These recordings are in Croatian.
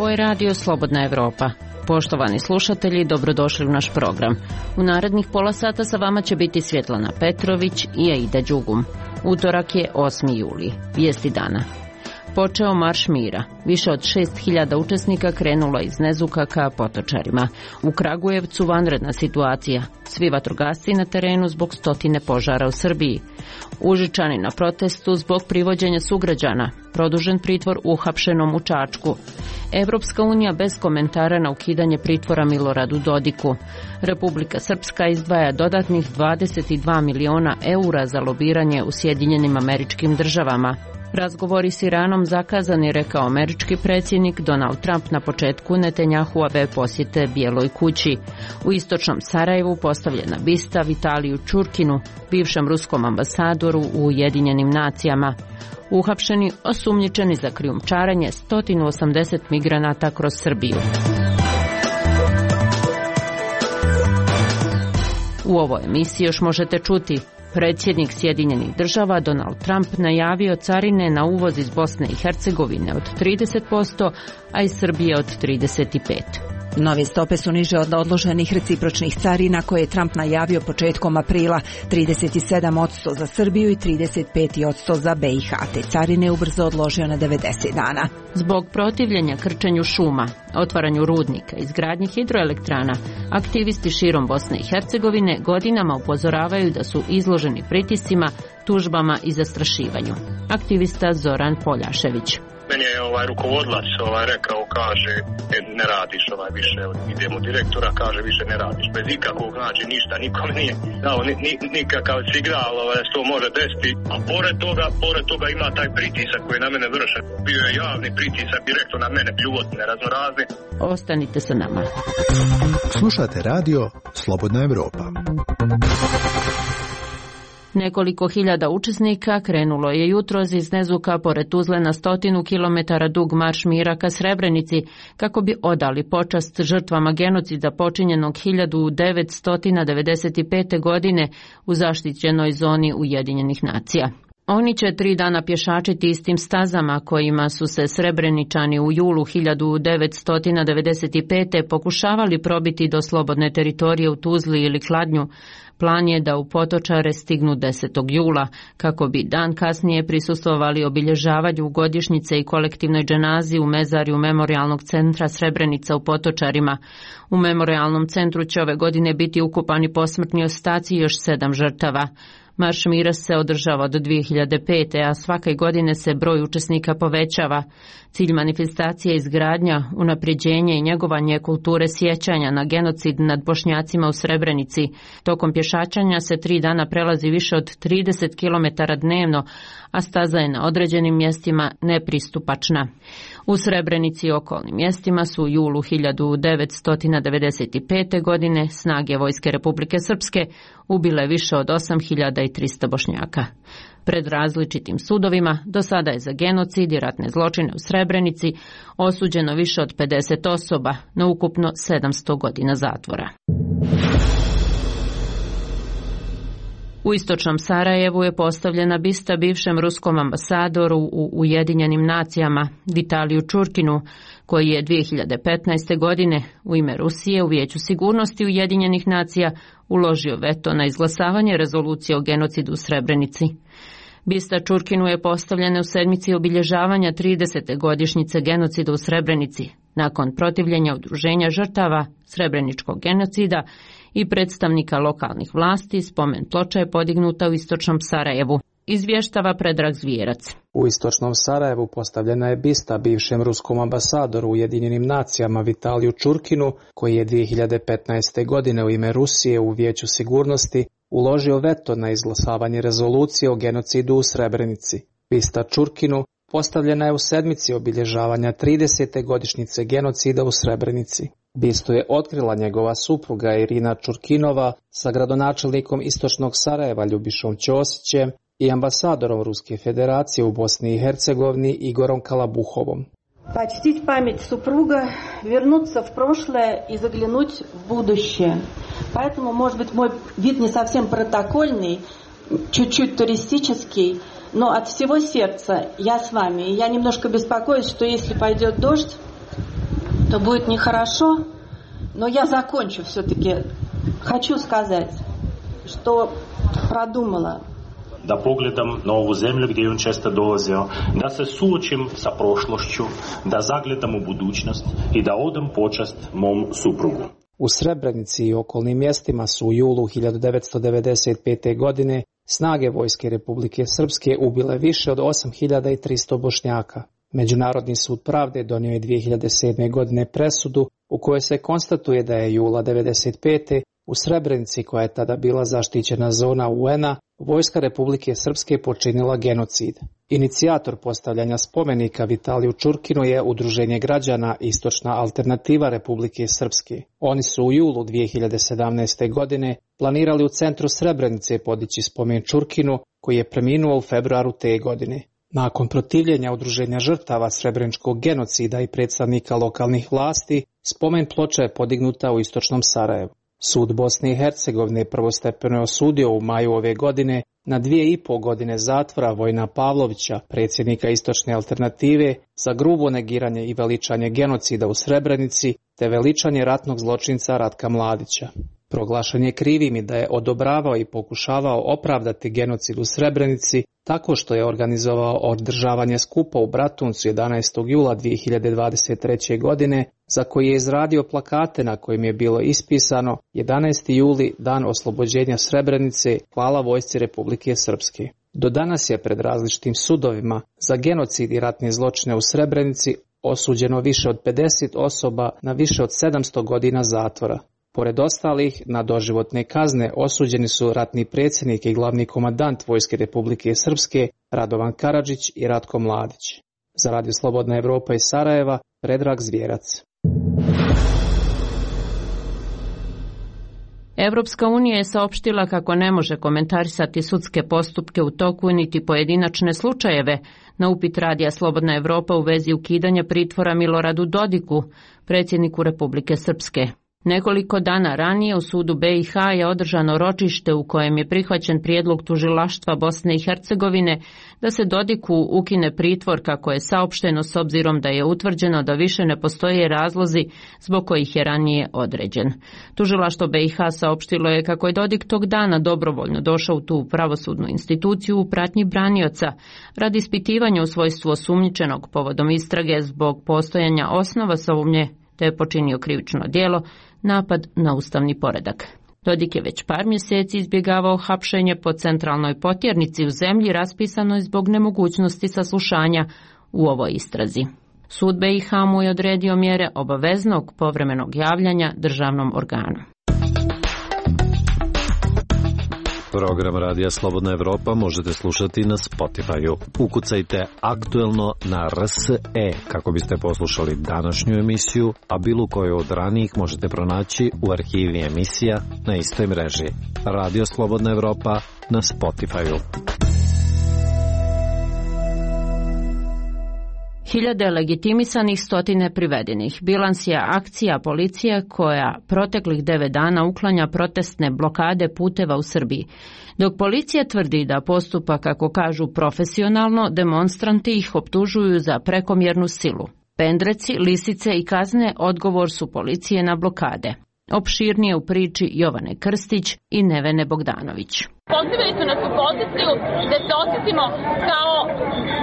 Ovo je radio Slobodna Evropa. Poštovani slušatelji, dobrodošli u naš program. U narednih pola sata sa vama će biti Svjetlana Petrović i Aida Đugum. Utorak je 8. juli. Vijesti dana. Počeo marš mira. Više od 6.000 učesnika krenulo iz Nezuka ka Potočarima. U Kragujevcu vanredna situacija. Svi vatrogasci na terenu zbog stotine požara u Srbiji. Užičani na protestu zbog privođenja sugrađana. Produžen pritvor uhapšenom u Čačku. Evropska unija bez komentara na ukidanje pritvora Miloradu Dodiku. Republika Srpska izdvaja dodatnih 22 miliona eura za lobiranje u Sjedinjenim Američkim Državama. Razgovori s Iranom zakazani, rekao američki predsjednik Donald Trump na početku Netanjahuove posjete Bijeloj kući. U istočnom Sarajevu postavljena bista Vitaliju Čurkinu, bivšem ruskom ambasadoru u Ujedinjenim nacijama. Uhapšeni osumnjičeni za krijumčarenje 180 migranata kroz Srbiju. U ovoj emisiji još možete čuti: predsjednik Sjedinjenih Država Donald Trump najavio carine na uvoz iz Bosne i Hercegovine od 30%, a iz Srbije od 35%. Nove stope su niže od odloženih recipročnih carina koje je Trump najavio početkom aprila, 37% za Srbiju i 35% za BiH, te carine ubrzo odložio na 90 dana. Zbog protivljenja krčenju šuma, otvaranju rudnika, izgradnji hidroelektrana, aktivisti širom Bosne i Hercegovine godinama upozoravaju da su izloženi pritiscima, tužbama i zastrašivanju. Aktivista Zoran Poljašević. Meni je rukovodilac rekao, kaže, ne radiš više, idemo direktora, kaže, više ne radiš. Bez ikakvog, znači, ništa, nikom nije dao nikakav signal da se to može desiti. A pored toga ima taj pritisak koji na mene vrše. Bio je javni pritisak direktno na mene, bljuvotne, raznorazne. Ostanite sa nama. Slušate radio Slobodna Evropa. Nekoliko hiljada učesnika krenulo je jutros iz Nezuka pored Tuzle na 100 kilometara dug marš mira ka Srebrenici kako bi odali počast žrtvama genocida počinjenog 1995. godine u zaštićenoj zoni Ujedinjenih nacija. Oni će 3 dana pješačiti istim stazama kojima su se Srebreničani u julu 1995. pokušavali probiti do slobodne teritorije u Tuzli ili Kladnju. Plan je da u Potočare stignu 10. jula, kako bi dan kasnije prisustvovali obilježavanju godišnjice i kolektivnoj dženazi u mezarju Memorijalnog centra Srebrenica u Potočarima. U Memorijalnom centru će ove godine biti ukopani posmrtni ostaci još 7 žrtava. Marš mira se održava od 2005. a svake godine se broj učesnika povećava. Cilj manifestacije je izgradnja, unapređenje i njegovanje kulture sjećanja na genocid nad Bošnjacima u Srebrenici. Tokom pješačanja se 3 dana prelazi više od 30 km dnevno, a staza je na određenim mjestima nepristupačna. U Srebrenici i okolnim mjestima su u julu 1995. godine snage Vojske Republike Srpske ubile više od 8.300 Bošnjaka. Pred različitim sudovima do sada je za genocid i ratne zločine u Srebrenici osuđeno više od 50 osoba na ukupno 700 godina zatvora. U istočnom Sarajevu je postavljena bista bivšem ruskom ambasadoru u Ujedinjenim nacijama Vitaliju Čurkinu, koji je 2015. godine u ime Rusije u Vijeću sigurnosti Ujedinjenih nacija uložio veto na izglasavanje rezolucije o genocidu u Srebrenici. Bista Čurkinu je postavljena u sedmici obilježavanja 30. godišnjice genocida u Srebrenici, nakon protivljenja udruženja žrtava srebreničkog genocida i predstavnika lokalnih vlasti. Spomen ploča je podignuta u istočnom Sarajevu. Izvještava Predrag Zvijerac. U istočnom Sarajevu postavljena je bista bivšem ruskom ambasadoru u Ujedinjenim nacijama Vitaliju Čurkinu, koji je 2015. godine u ime Rusije u Vijeću sigurnosti uložio veto na izglasavanje rezolucije o genocidu u Srebrenici. Bista Čurkinu postavljena je u sedmici obilježavanja 30. godišnjice genocida u Srebrenici. Bistu je otkrila njegova supruga Irina Čurkinova sa gradonačelnikom istočnog Sarajeva Ljubišom Ćosićem i ambasadorom Ruske federacije u Bosni i Hercegovini Igorom Kalabuhovom. Почтить память супруга, вернуться в прошлое и заглянуть в будущее. Поэтому, может быть, мой вид не совсем протокольный, чуть-чуть туристический, но от всего сердца я с вами. И я немножко беспокоюсь, что если пойдет дождь, то будет нехорошо, но я закончу все-таки. Хочу сказать, što продумала. Da pogledam na ovu zemlju gdje je on često dolazio, da se suočim sa prošlošću, da zagledam u budućnost i da odam počast mom suprugu. U Srebrenici i okolnim mjestima su u julu 1995. godine snage Vojske Republike Srpske ubile više od 8300 Bošnjaka. Međunarodni sud pravde donio je 2007. godine presudu u kojoj se konstatuje da je jula 1995. u Srebrenici, koja je tada bila zaštićena zona UN-a, Vojska Republike Srpske počinila genocid. Inicijator postavljanja spomenika Vitaliju Čurkinu je Udruženje građana Istočna alternativa Republike Srpske. Oni su u julu 2017. godine planirali u centru Srebrenice podići spomen Čurkinu, koji je preminuo u februaru te godine. Nakon protivljenja Udruženja žrtava srebreničkog genocida i predstavnika lokalnih vlasti, spomen ploča je podignuta u istočnom Sarajevu. Sud Bosne i Hercegovine prvostepeno je osudio u maju ove godine na 2,5 godine zatvora Vojina Pavlovića, predsjednika Istočne alternative, za grubo negiranje i veličanje genocida u Srebrenici te veličanje ratnog zločinca Ratka Mladića. Proglašen je krivim i da je odobravao i pokušavao opravdati genocid u Srebrenici tako što je organizovao održavanje skupa u Bratuncu 11. jula 2023. godine, za koji je izradio plakate na kojim je bilo ispisano 11. juli, dan oslobođenja Srebrenice, hvala Vojsci Republike Srpske. Do danas je pred različitim sudovima za genocid i ratne zločine u Srebrenici osuđeno više od 50 osoba na više od 700 godina zatvora. Pored ostalih, na doživotne kazne osuđeni su ratni predsjednik i glavni komandant Vojske Republike Srpske Radovan Karadžić i Ratko Mladić. Za Radio Slobodna Evropa iz Sarajeva, Predrag Zvjerac. Evropska unija je saopštila kako ne može komentarisati sudske postupke u toku niti pojedinačne slučajeve na upit Radija Slobodna Evropa u vezi ukidanja pritvora Miloradu Dodiku, predsjedniku Republike Srpske. Nekoliko dana ranije u sudu BiH je održano ročište u kojem je prihvaćen prijedlog tužilaštva Bosne i Hercegovine da se Dodiku ukine pritvor, kako je saopšteno, s obzirom da je utvrđeno da više ne postoje razlozi zbog kojih je ranije određen. Tužilaštvo BiH saopštilo je kako je Dodik tog dana dobrovoljno došao u tu pravosudnu instituciju u pratnji branioca radi ispitivanja u svojstvu osumnjičenog povodom istrage zbog postojanja osnova sumnje te je počinio krivično djelo, napad na ustavni poredak. Dodik je već par mjeseci izbjegavao hapšenje po centralnoj potjernici u zemlji raspisanoj zbog nemogućnosti saslušanja u ovoj istrazi. Sud BiH mu je odredio mjere obaveznog povremenog javljanja državnom organu. Program Radija Slobodna Evropa možete slušati na Spotify-u. Ukucajte aktuelno na RSE kako biste poslušali današnju emisiju, a bilo koju od ranijih možete pronaći u arhivi emisija na istoj mreži. Radio Slobodna Evropa na Spotify-u. Hiljade legitimisanih, stotine privedenih. Bilans je akcija policije koja proteklih 9 dana uklanja protestne blokade puteva u Srbiji. Dok policija tvrdi da postupa, kako kažu, profesionalno, demonstranti ih optužuju za prekomjernu silu. Pendreci, lisice i kazne odgovor su policije na blokade. Opširnije u priči Jovane Krstić i Nevene Bogdanović. Pozivali su nas u poziciju da se osjetimo kao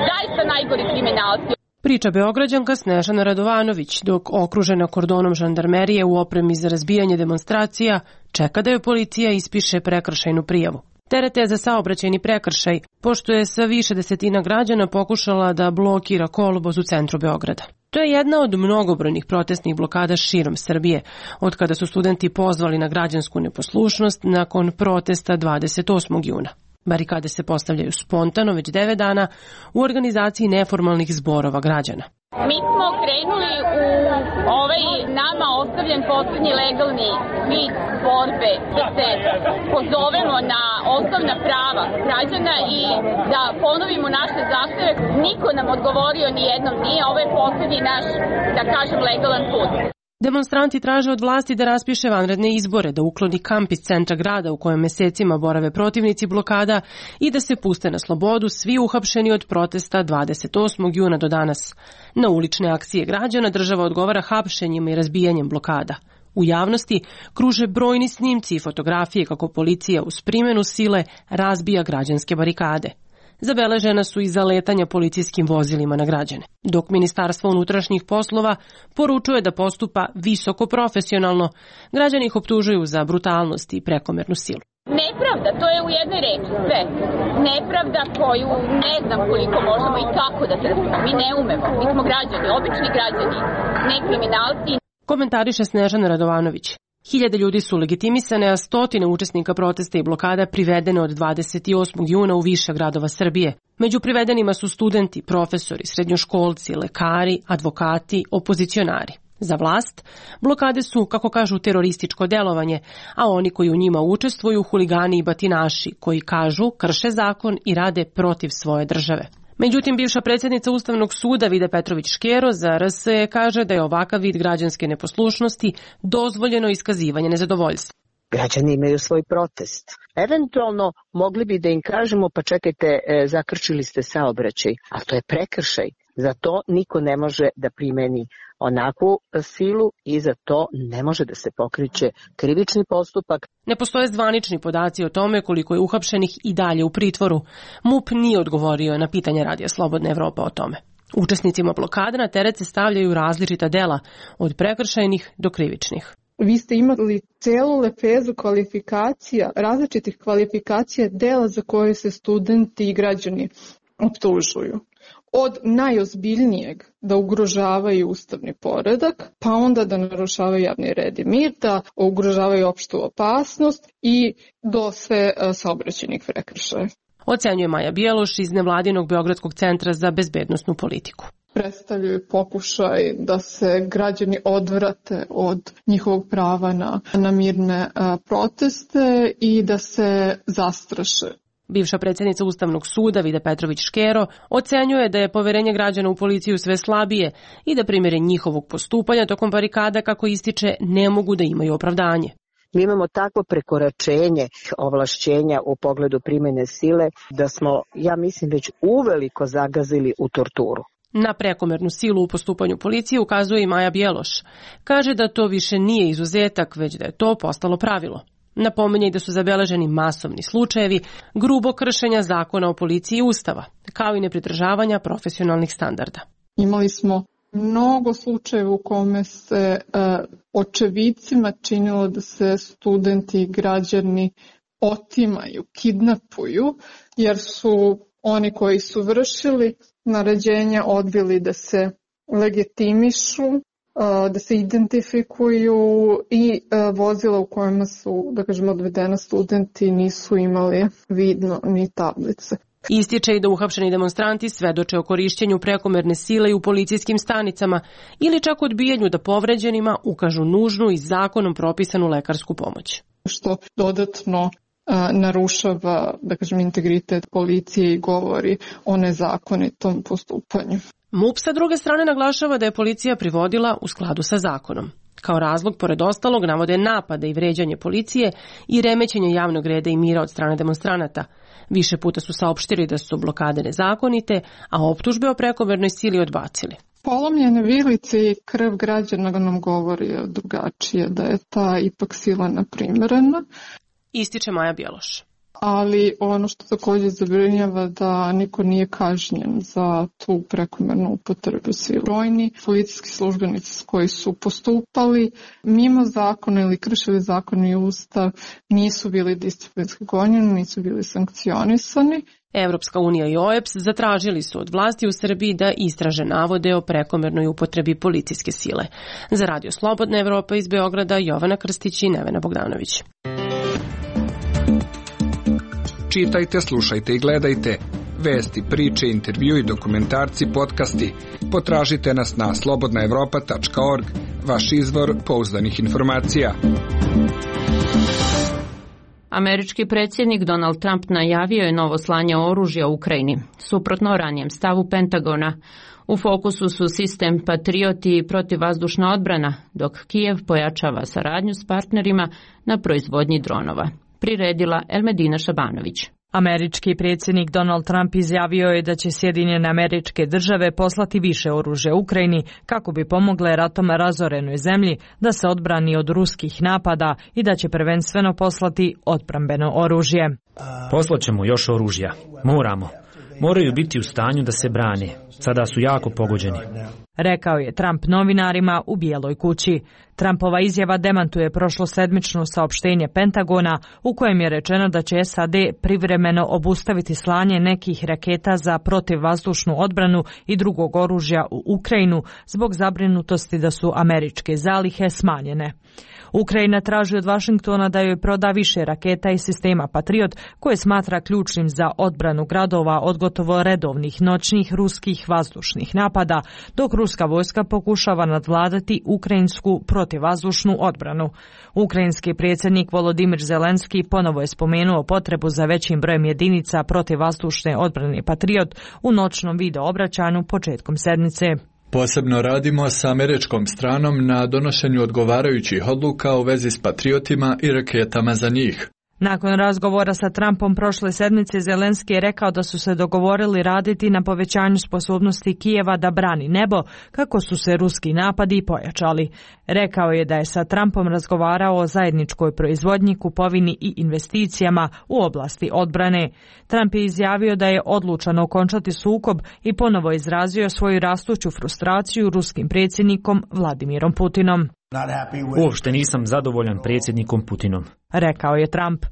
zaista najgori kriminalci. Priča Beograđanka Snežana Radovanović, dok okružena kordonom žandarmerije u opremi za razbijanje demonstracija, čeka da joj policija ispiše prekršajnu prijavu. Teret je za saobraćajni prekršaj, pošto je sa više desetina građana pokušala da blokira kolovoz u centru Beograda. To je jedna od mnogobrojnih protestnih blokada širom Srbije, od kada su studenti pozvali na građansku neposlušnost nakon protesta 28. juna. Barikade se postavljaju spontano već 9 dana u organizaciji neformalnih zborova građana. Mi smo krenuli u ovaj nama ostavljen posljednji legalni vid borbe da se pozovemo na osnovna prava građana i da ponovimo naše zahteve. Niko nam odgovorio ni jednom nije, ovo je posljednji naš, da kažem, legalan put. Demonstranti traže od vlasti da raspiše vanredne izbore, da ukloni kamp iz centra grada u kojem mesecima borave protivnici blokada i da se puste na slobodu svi uhapšeni od protesta 28. juna do danas. Na ulične akcije građana država odgovara hapšenjima i razbijanjem blokada. U javnosti kruže brojni snimci i fotografije kako policija uz primjenu sile razbija građanske barikade. Zabeležena su i zaletanja policijskim vozilima na građane, dok Ministarstvo unutrašnjih poslova poručuje da postupa visoko profesionalno. Građani ih optužuju za brutalnost i prekomernu silu. Nepravda, to je u jednoj reči sve. Nepravda koju ne znam koliko možemo i kako da trpimo. Mi ne umemo, mi smo građani, obični građani, ne kriminalci. Komentariše Snežana Radovanović. Hiljade ljudi su legitimisane, a stotine učesnika protesta i blokada privedene od 28. juna u više gradova Srbije. Među privedenima su studenti, profesori, srednjoškolci, lekari, advokati, opozicionari. Za vlast, blokade su, kako kažu, terorističko delovanje, a oni koji u njima učestvuju huligani i batinaši, koji kažu krše zakon i rade protiv svoje države. Međutim, bivša predsjednica Ustavnog suda Vida Petrović-Škero za RSE kaže da je ovakav vid građanske neposlušnosti dozvoljeno iskazivanje nezadovoljstva. Građani imaju svoj protest. Eventualno mogli bi da im kažemo pa čekajte, zakrčili ste saobraćaj, ali to je prekršaj. Za to niko ne može da primeni onakvu silu i za to ne može da se pokreće krivični postupak. Ne postoje zvanični podaci o tome koliko je uhapšenih i dalje u pritvoru. MUP nije odgovorio na pitanje Radija Slobodna Evropa o tome. Učesnicima blokade na teret se stavljaju različita dela, od prekršajnih do krivičnih. Vi ste imali celu lepezu kvalifikacija, različitih kvalifikacija dela za koje se studenti i građani optužuju. Od najozbiljnijeg da ugrožavaju ustavni poredak, pa onda da narušavaju javni red i mir, da ugrožavaju opštu opasnost i do sve saobraćajnih prekršaja. Ocenjuje Maja Bjeloš iz nevladinog Beogradskog centra za bezbednosnu politiku. Predstavljaju pokušaj da se građani odvrate od njihovog prava na mirne proteste i da se zastraše. Bivša predsjednica Ustavnog suda Vida Petrović-Škero ocenjuje da je poverenje građana u policiju sve slabije i da primjere njihovog postupanja tokom barikada, kako ističe, ne mogu da imaju opravdanje. Mi imamo takvo prekoračenje ovlašćenja u pogledu primjene sile da smo, ja mislim, već uveliko zagazili u torturu. Na prekomernu silu u postupanju policije ukazuje i Maja Bjeloš. Kaže da to više nije izuzetak, već da je to postalo pravilo. Napominje i da su zabeleženi masovni slučajevi grubo kršenja zakona o policiji i Ustava, kao i nepridržavanja profesionalnih standarda. Imali smo mnogo slučajeva u kome se očevicima činilo da se studenti i građani otimaju, kidnapuju, jer su oni koji su vršili naređenja odbili da se legitimišu, da se identifikuju i vozila u kojima su, da kažemo, odvedena studenti nisu imali vidno ni tablice. Ističe i da uhapšeni demonstranti svedoče o korišćenju prekomerne sile i u policijskim stanicama ili čak odbijanju da povređenima ukažu nužnu i zakonom propisanu lekarsku pomoć. Što dodatno narušava, da kažem, integritet policije i govori o nezakonitom postupanju. MUP sa druge strane naglašava da je policija privodila u skladu sa zakonom. Kao razlog, pored ostalog, navode napade i vređanje policije i remećenje javnog reda i mira od strane demonstranata. Više puta su saopštili da su blokade nezakonite, a optužbe o prekomernoj sili odbacili. Polomljene vilice i krv građana nam govori drugačije, da je ta ipak sila neprimjerena. Ističe Maja Bjeloš. Ali ono što također zabrinjava da niko nije kažnjen za tu prekomernu upotrebu sile. Brojni policijski službenici koji su postupali mimo zakona ili kršili zakon i ustav nisu bili disciplinski gonjeni, nisu bili sankcionisani. Evropska unija i OEBS zatražili su od vlasti u Srbiji da istraže navode o prekomernoj upotrebi policijske sile. Za Radio Slobodna Evropa iz Beograda, Jovana Krstić i Nevena Bogdanović. Čitajte, slušajte i gledajte. Vesti, priče, intervju i dokumentarci, podcasti. Potražite nas na slobodnaevropa.org, vaš izvor pouzdanih informacija. Američki predsjednik Donald Trump najavio je novo slanje oružja u Ukrajini, suprotno ranijem stavu Pentagona. U fokusu su sistem Patriot i protivvazdušna odbrana, dok Kijev pojačava saradnju s partnerima na proizvodnji dronova. Priredila Elmedina Šabanović. Američki predsjednik Donald Trump izjavio je da će Sjedinjene Američke Države poslati više oružja Ukrajini kako bi pomogle ratom razorenoj zemlji da se odbrani od ruskih napada i da će prvenstveno poslati odbrambeno oružje. Poslaćemo još oružja. Moraju biti u stanju da se brane. Sada su jako pogođeni. Rekao je Trump novinarima u Bijeloj kući. Trumpova izjava demantuje prošlosedmično saopštenje Pentagona u kojem je rečeno da će SAD privremeno obustaviti slanje nekih raketa za protivvazdušnu odbranu i drugog oružja u Ukrajinu zbog zabrinutosti da su američke zalihe smanjene. Ukrajina traži od Vašingtona da joj proda više raketa i sistema Patriot koje smatra ključnim za odbranu gradova od gotovo redovnih noćnih ruskih vazdušnih napada, dok ruska vojska pokušava nadvladati ukrajinsku protivvazdušnu odbranu. Ukrajinski predsjednik Volodimir Zelenski ponovo je spomenuo potrebu za većim brojem jedinica protivvazdušne odbrane Patriot u noćnom video obraćanju početkom sedmice. Posebno radimo sa američkom stranom na donošenju odgovarajućih odluka u vezi s patriotima i raketama za njih. Nakon razgovora sa Trumpom prošle sedmice, Zelenski je rekao da su se dogovorili raditi na povećanju sposobnosti Kijeva da brani nebo, kako su se ruski napadi pojačali. Rekao je da je sa Trumpom razgovarao o zajedničkoj proizvodnji, kupovini i investicijama u oblasti odbrane. Trump je izjavio da je odlučan okončati sukob i ponovo izrazio svoju rastuću frustraciju ruskim predsjednikom Vladimirom Putinom. Uopšte nisam zadovoljan predsjednikom Putinom, rekao je Trump.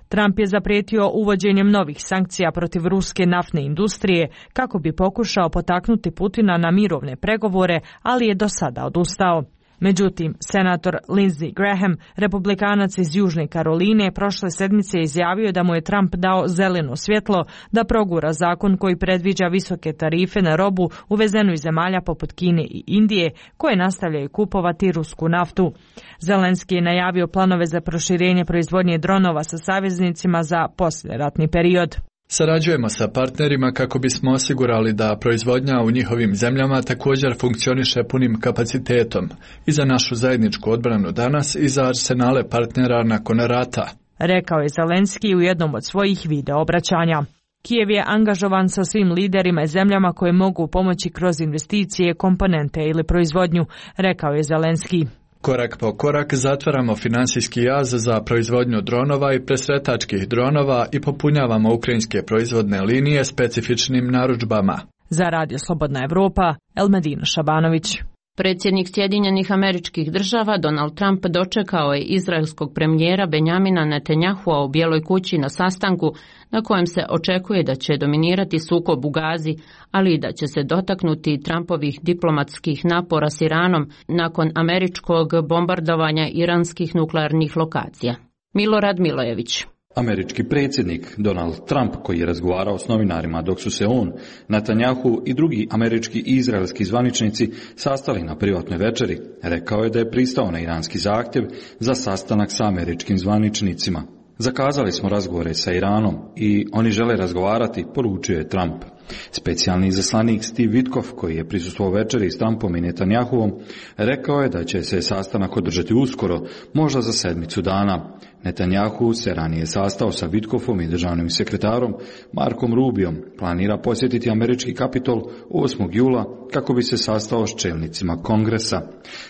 Trump je zaprijetio uvođenjem novih sankcija protiv ruske naftne industrije kako bi pokušao potaknuti Putina na mirovne pregovore, ali je do sada odustao. Međutim, senator Lindsey Graham, republikanac iz Južne Karoline, prošle sedmice izjavio da mu je Trump dao zeleno svjetlo da progura zakon koji predviđa visoke tarife na robu uvezenu iz zemalja poput Kine i Indije, koje nastavljaju kupovati rusku naftu. Zelenski je najavio planove za proširenje proizvodnje dronova sa saveznicima za poslijeratni period. Sarađujemo sa partnerima kako bismo osigurali da proizvodnja u njihovim zemljama također funkcioniše punim kapacitetom i za našu zajedničku odbranu danas i za arsenale partnera nakon rata, rekao je Zelenski u jednom od svojih video obraćanja. Kijev je angažovan sa svim liderima i zemljama koje mogu pomoći kroz investicije, komponente ili proizvodnju, rekao je Zelenski. Korak po korak zatvaramo finansijski jaz za proizvodnju dronova i presretačkih dronova i popunjavamo ukrajinske proizvodne linije specifičnim narudžbama. Za Radio Slobodna Evropa, Elmedina Šabanović. Predsjednik Sjedinjenih Američkih Država Donald Trump dočekao je izraelskog premijera Benjamina Netanjahua u Bijeloj kući na sastanku na kojem se očekuje da će dominirati sukob u Gazi, ali i da će se dotaknuti Trumpovih diplomatskih napora s Iranom nakon američkog bombardovanja iranskih nuklearnih lokacija. Milorad Milojević. Američki predsjednik Donald Trump, koji je razgovarao s novinarima dok su se on, Netanjahu i drugi američki i izraelski zvaničnici sastali na privatnoj večeri, rekao je da je pristao na iranski zahtjev za sastanak sa američkim zvaničnicima. Zakazali smo razgovore sa Iranom i oni žele razgovarati, poručio je Trump. Specijalni izaslanik Steve Witkoff, koji je prisustvovao večeri s Trumpom i Netanjahuvom, rekao je da će se sastanak održati uskoro, možda za sedmicu dana. Netanjahu se ranije sastao sa Witkoffom i državnim sekretarom Markom Rubiom. Planira posjetiti američki Kapitol 8. jula kako bi se sastao s čelnicima Kongresa.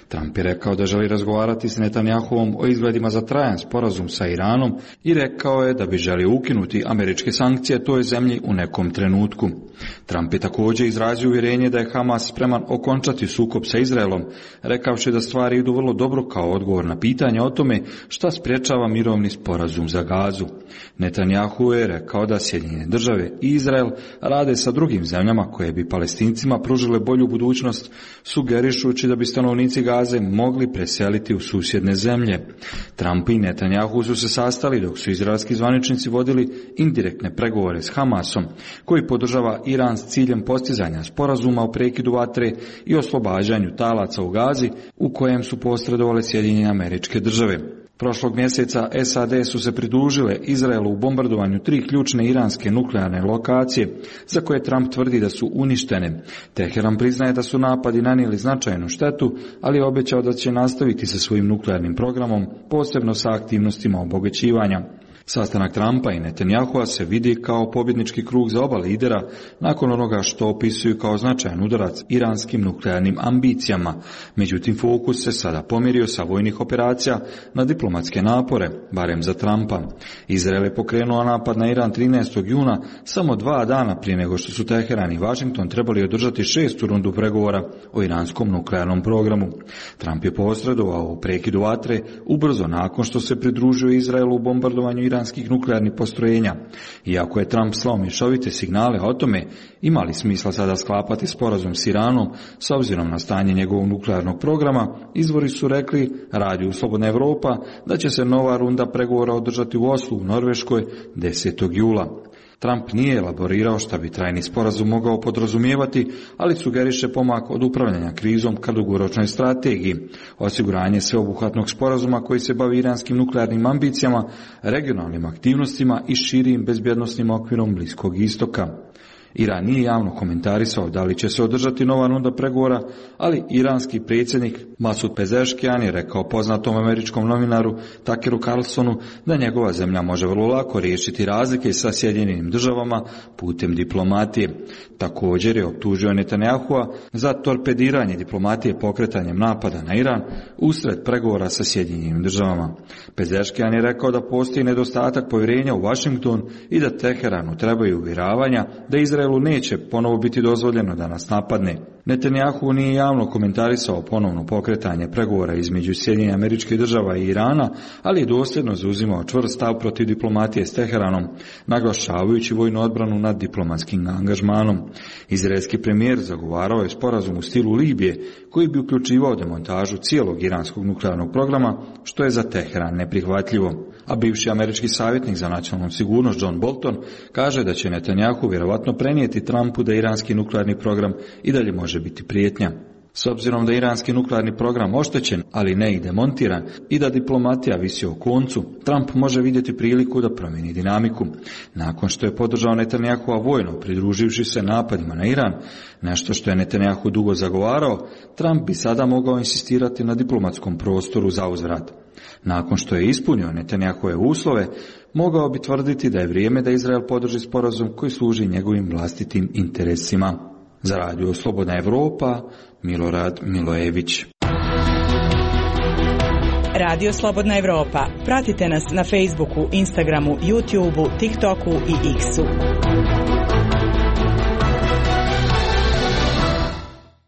Trump je rekao da želi razgovarati s Netanjahuvom o izgledima za trajan sporazum sa Iranom i rekao je da bi želio ukinuti američke sankcije toj zemlji u nekom trenutku. Trump je također izrazio uvjerenje da je Hamas spreman okončati sukob sa Izraelom, rekavši da stvari idu vrlo dobro kao odgovor na pitanje o tome šta sprječava mirovni sporazum za Gazu. Netanjahu je rekao da Sjedinjene Države i Izrael rade sa drugim zemljama koje bi Palestincima pružile bolju budućnost, sugerišući da bi stanovnici Gaze mogli preseliti u susjedne zemlje. Trump i Netanjahu su se sastali dok su izraelski zvaničnici vodili indirektne pregovore s Hamasom, koji podržava Iran s ciljem postizanja sporazuma o prekidu vatre i oslobađanju talaca u Gazi, u kojem su posredovale Sjedinjene Američke Države. Prošlog mjeseca SAD su se pridružile Izraelu u bombardovanju 3 ključne iranske nuklearne lokacije, za koje Trump tvrdi da su uništene. Teheran priznaje da su napadi nanijeli značajnu štetu, ali je obećao da će nastaviti sa svojim nuklearnim programom, posebno sa aktivnostima obogaćivanja. Sastanak Trumpa i Netanjahua se vidi kao pobjednički krug za oba lidera nakon onoga što opisuju kao značajan udarac iranskim nuklearnim ambicijama. Međutim, fokus se sada pomirio sa vojnih operacija na diplomatske napore, barem za Trumpa. Izrael je pokrenuo napad na Iran 13. juna, samo 2 dana prije nego što su Teheran i Washington trebali održati 6. rundu pregovora o iranskom nuklearnom programu. Trump je posredovao u prekidu vatre ubrzo nakon što se pridružio Izraelu u bombardovanju iranskih nuklearnih postrojenja. Iako je Trump slao mješovite signale o tome ima li smisla sada sklapati sporazum s Iranom s obzirom na stanje njegovog nuklearnog programa, izvori su rekli Radiju Slobodna Evropa da će se nova runda pregovora održati u Oslu u Norveškoj 10. jula. Trump nije elaborirao šta bi trajni sporazum mogao podrazumijevati, ali sugeriše pomak od upravljanja krizom ka dugoročnoj strategiji, osiguranje sveobuhvatnog sporazuma koji se bavi iranskim nuklearnim ambicijama, regionalnim aktivnostima i širim bezbjednosnim okvirom Bliskog istoka. Iran nije javno komentarisao da li će se održati nova runda pregovora, ali iranski predsjednik Masud Pezeškian je rekao poznatom američkom novinaru Tuckeru Carlsonu da njegova zemlja može vrlo lako riješiti razlike sa Sjedinjenim državama putem diplomatije. Također je optužio Netanjahua za torpediranje diplomatije pokretanjem napada na Iran usred pregovora sa Sjedinjenim državama. Pezeškian je rekao da postoji nedostatak povjerenja u Washington i da Teheranu trebaju uvjeravanja da Izraelu neće ponovo biti dozvoljeno da nas napadne. Netanjahu nije javno komentarisao ponovno pokretanje pregovora između Sjedinjenih Američkih Država i Irana, ali je dosljedno zauzimao čvrst stav protiv diplomatije s Teheranom, naglašavajući vojnu odbranu nad diplomatskim angažmanom. Izraelski premijer zagovarao je sporazum u stilu Libije, koji bi uključivao demontažu cijelog iranskog nuklearnog programa, što je za Teheran neprihvatljivo. A bivši američki savjetnik za nacionalnu sigurnost John Bolton kaže da će Netanjahu vjerovatno prenijeti Trumpu da iranski nuklearni program i dalje može biti prijetnja. S obzirom da iranski nuklearni program oštećen, ali ne i demontiran, i da diplomatija visi o koncu, Trump može vidjeti priliku da promijeni dinamiku. Nakon što je podržao Netanjahua vojno, pridruživši se napadima na Iran, nešto što je Netanjahu dugo zagovarao, Trump bi sada mogao insistirati na diplomatskom prostoru za uzvrat. Nakon što je ispunio Netanjahove uslove, mogao bi tvrditi da je vrijeme da Izrael podrži sporazum koji služi njegovim vlastitim interesima. Za Radio Slobodna Evropa, Milorad Milojević. Radio Slobodna Evropa. Pratite nas na Facebooku, Instagramu, YouTubeu, TikToku i X-u.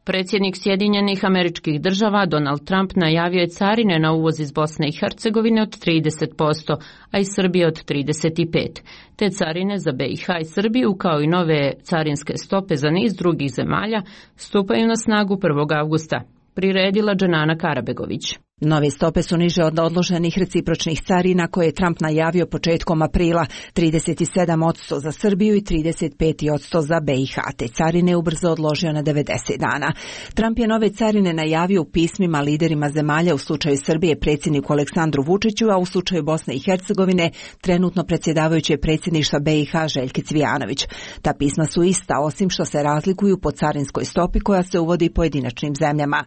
Predsjednik Sjedinjenih Američkih Država Donald Trump najavio je carine na uvoz iz Bosne i Hercegovine od 30%, a iz Srbije od 35%. Te carine za BiH i Srbiju, kao i nove carinske stope za niz drugih zemalja, stupaju na snagu 1. avgusta. Priredila Dženana Karabegović. Nove stope su niže od odloženih recipročnih carina koje je Trump najavio početkom aprila, 37% za Srbiju i 35% za BiH. Te carine ubrzo odložio na 90 dana. Trump je nove carine najavio u pismima liderima zemalja, u slučaju Srbije predsjedniku Aleksandru Vučiću, a u slučaju Bosne i Hercegovine trenutno predsjedavajuće predsjedništva BiH Željki Cvijanović. Ta pisma su ista, osim što se razlikuju po carinskoj stopi koja se uvodi pojedinačnim zemljama.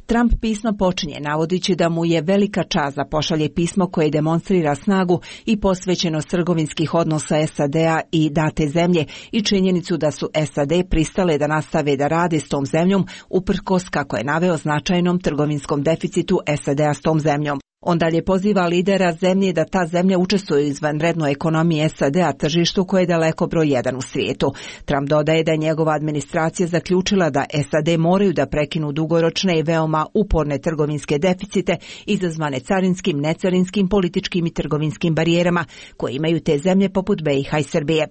Trump pismo počinje navodići da mu je velika čast da pošalje pismo koje demonstrira snagu i posvećenost trgovinskih odnosa SAD-a i date zemlje i činjenicu da su SAD pristale da nastave da rade s tom zemljom uprkos, kako je naveo, značajnom trgovinskom deficitu SAD-a s tom zemljom. On dalje poziva lidera zemlje da ta zemlja učestvuje u izvanrednoj ekonomiji SAD-a, tržištu koje je daleko broj 1 u svijetu. Trump dodaje da je njegova administracija zaključila da SAD moraju da prekinu dugoročne i veoma uporne trgovinske deficite izazvane carinskim, necarinskim, političkim i trgovinskim barijerama koje imaju te zemlje poput BiH i Srbije.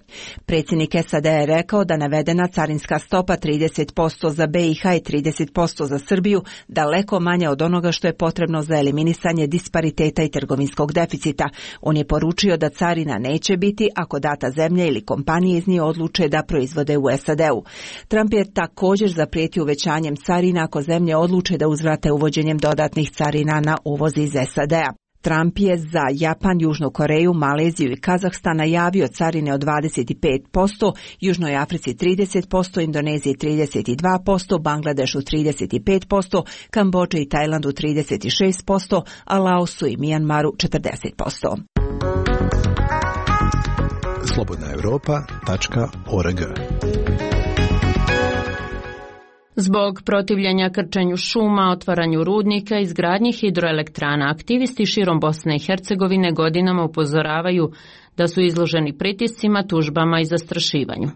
Predsjednik SAD-a je rekao da navedena carinska stopa 30% za BiH i 30% za Srbiju daleko manja od onoga što je potrebno za eliminisanje dispariteta i trgovinskog deficita. On je poručio da carina neće biti ako data zemlja ili kompanije iz nje odluče da proizvode u SAD-u. Trump je također zaprijetio uvećanjem carina ako zemlje odluče da uzvrate uvođenjem dodatnih carina na uvoz iz SAD-a. Trump je za Japan, Južnu Koreju, Maleziju i Kazahstan najavio carine od 25%, Južnoj Africi 30%, Indoneziji 32%, Bangladešu 35%, Kambodži i Tajlandu 36%, a Laosu i Mijanmaru 40%. slobodnaevropa.org. Zbog protivljenja krčenju šuma, otvaranju rudnika i izgradnji hidroelektrana, aktivisti širom Bosne i Hercegovine godinama upozoravaju da su izloženi pritiscima, tužbama i zastrašivanju.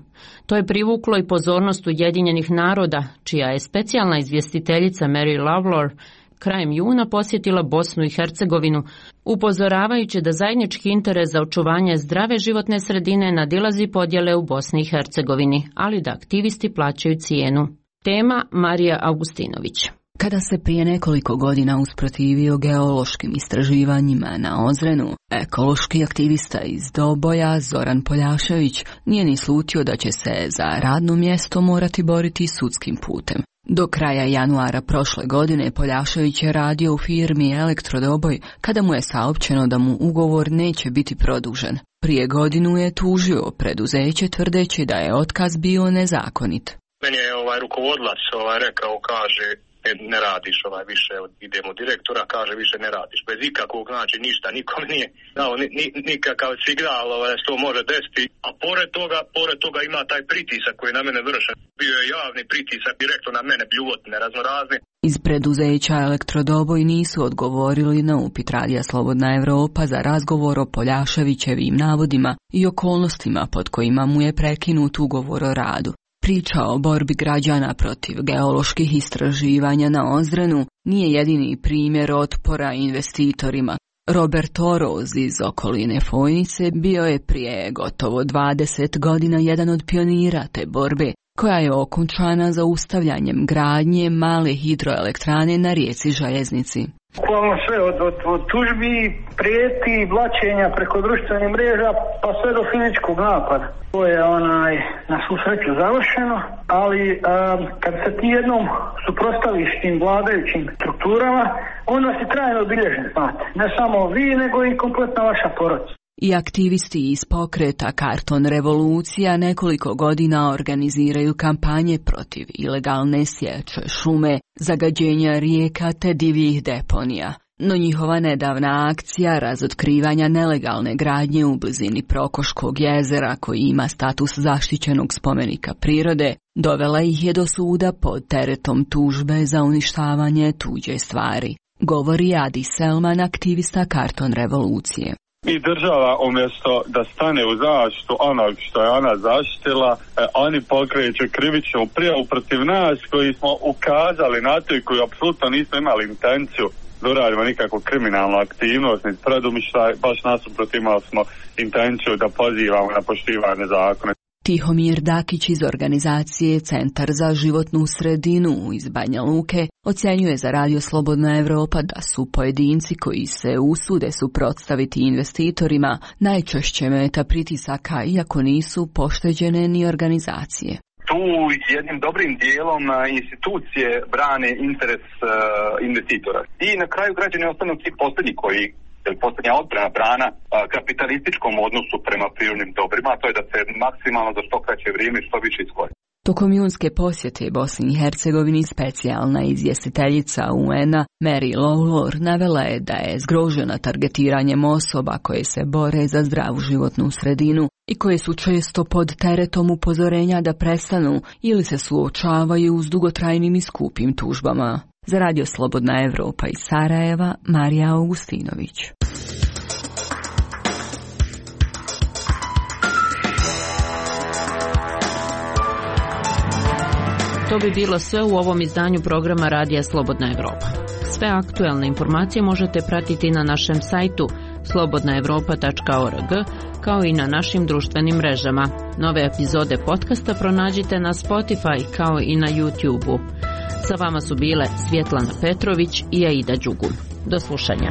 To je privuklo i pozornost Ujedinjenih naroda, čija je specijalna izvjestiteljica Mary Lawlor krajem juna posjetila Bosnu i Hercegovinu, upozoravajući da zajednički interes za očuvanje zdrave životne sredine nadilazi podjele u Bosni i Hercegovini, ali da aktivisti plaćaju cijenu. Tema Marija Augustinović. Kada se prije nekoliko godina usprotivio geološkim istraživanjima na Ozrenu, ekološki aktivista iz Doboja Zoran Poljašević nije ni slutio da će se za radno mjesto morati boriti sudskim putem. Do kraja januara prošle godine Poljašević je radio u firmi Elektrodoboj kada mu je saopćeno da mu ugovor neće biti produžen. Prije godinu je tužio preduzeće tvrdeći da je otkaz bio nezakonit. Meni je rukovodilac rekao, kaže, ne radiš više, idemo direktora, kaže više ne radiš. Bez ikakvog, znači ništa, nikom nije dao nikakav signal da se to može desiti. A pored toga ima taj pritisak koji na mene vršen. Bio je javni pritisak direktno na mene, bljuvotne, raznorazne. Iz preduzeća Elektrodoboj nisu odgovorili na upit Radija Slobodna Evropa za razgovor o Poljaševićevim navodima i okolnostima pod kojima mu je prekinut ugovor o radu. Priča o borbi građana protiv geoloških istraživanja na Ozrenu nije jedini primjer otpora investitorima. Robert Oroz iz okoline Fojnice bio je prije gotovo 20 godina jedan od pionira te borbe, koja je okončana zaustavljanjem gradnje male hidroelektrane na rijeci Željeznici. Bukvalno sve od tužbi, prijeti, blaćenja preko društvenih mreža pa sve do fizičkog napada. To je na svu sreću završeno, ali kad se ti jednom suprotstaviš tim vladajućim strukturama, onda si trajno obilježen, znate. Ne samo vi, nego i kompletna vaša porodica. I aktivisti iz pokreta Karton Revolucija nekoliko godina organiziraju kampanje protiv ilegalne sječe šume, zagađenja rijeka te divljih deponija. No njihova nedavna akcija razotkrivanja nelegalne gradnje u blizini Prokoškog jezera, koji ima status zaštićenog spomenika prirode, dovela ih je do suda pod teretom tužbe za uništavanje tuđe stvari. Govori Adi Selman, aktivista Karton Revolucije. I država umjesto da stane u zaštitu onog što je ona zaštitila, oni pokreću krivičnu prijavu protiv nas koji smo ukazali na to i koji apsolutno nismo imali intenciju da uradimo nikakvu kriminalnu aktivnost, ni predumišljaj, baš nasuprot imali smo intenciju da pozivamo na poštivanje zakona. Tihomir Dakić iz organizacije Centar za životnu sredinu iz Banja Luke ocjenjuje za Radio Slobodna Evropa da su pojedinci koji se usude suprotstaviti investitorima najčešće meta pritisaka, iako nisu pošteđene ni organizacije. Tu jednim dobrim dijelom institucije brane interes investitora. I na kraju građani ostanu ti posljednji koji posljednja odbrana brana kapitalističkom odnosu prema prirodnim dobrima, a to je da se maksimalno za što kraće vrijeme što više iskoristi. Tokom junske posjete Bosni i Hercegovini specijalna izvjestiteljica UN-a Mary Lawlor navela je da je zgrožena targetiranjem osoba koje se bore za zdravu životnu sredinu i koje su često pod teretom upozorenja da prestanu ili se suočavaju s dugotrajnim i skupim tužbama. Za Radio Slobodna Evropa iz Sarajeva, Marija Augustinović. To bi bilo sve u ovom izdanju programa Radija Slobodna Evropa. Sve aktuelne informacije možete pratiti na našem sajtu slobodnaevropa.org, kao i na našim društvenim mrežama. Nove epizode podcasta pronađite na Spotify kao i na YouTube-u. Sa vama su bile Svjetlana Petrović i Aida Đugum. Do slušanja.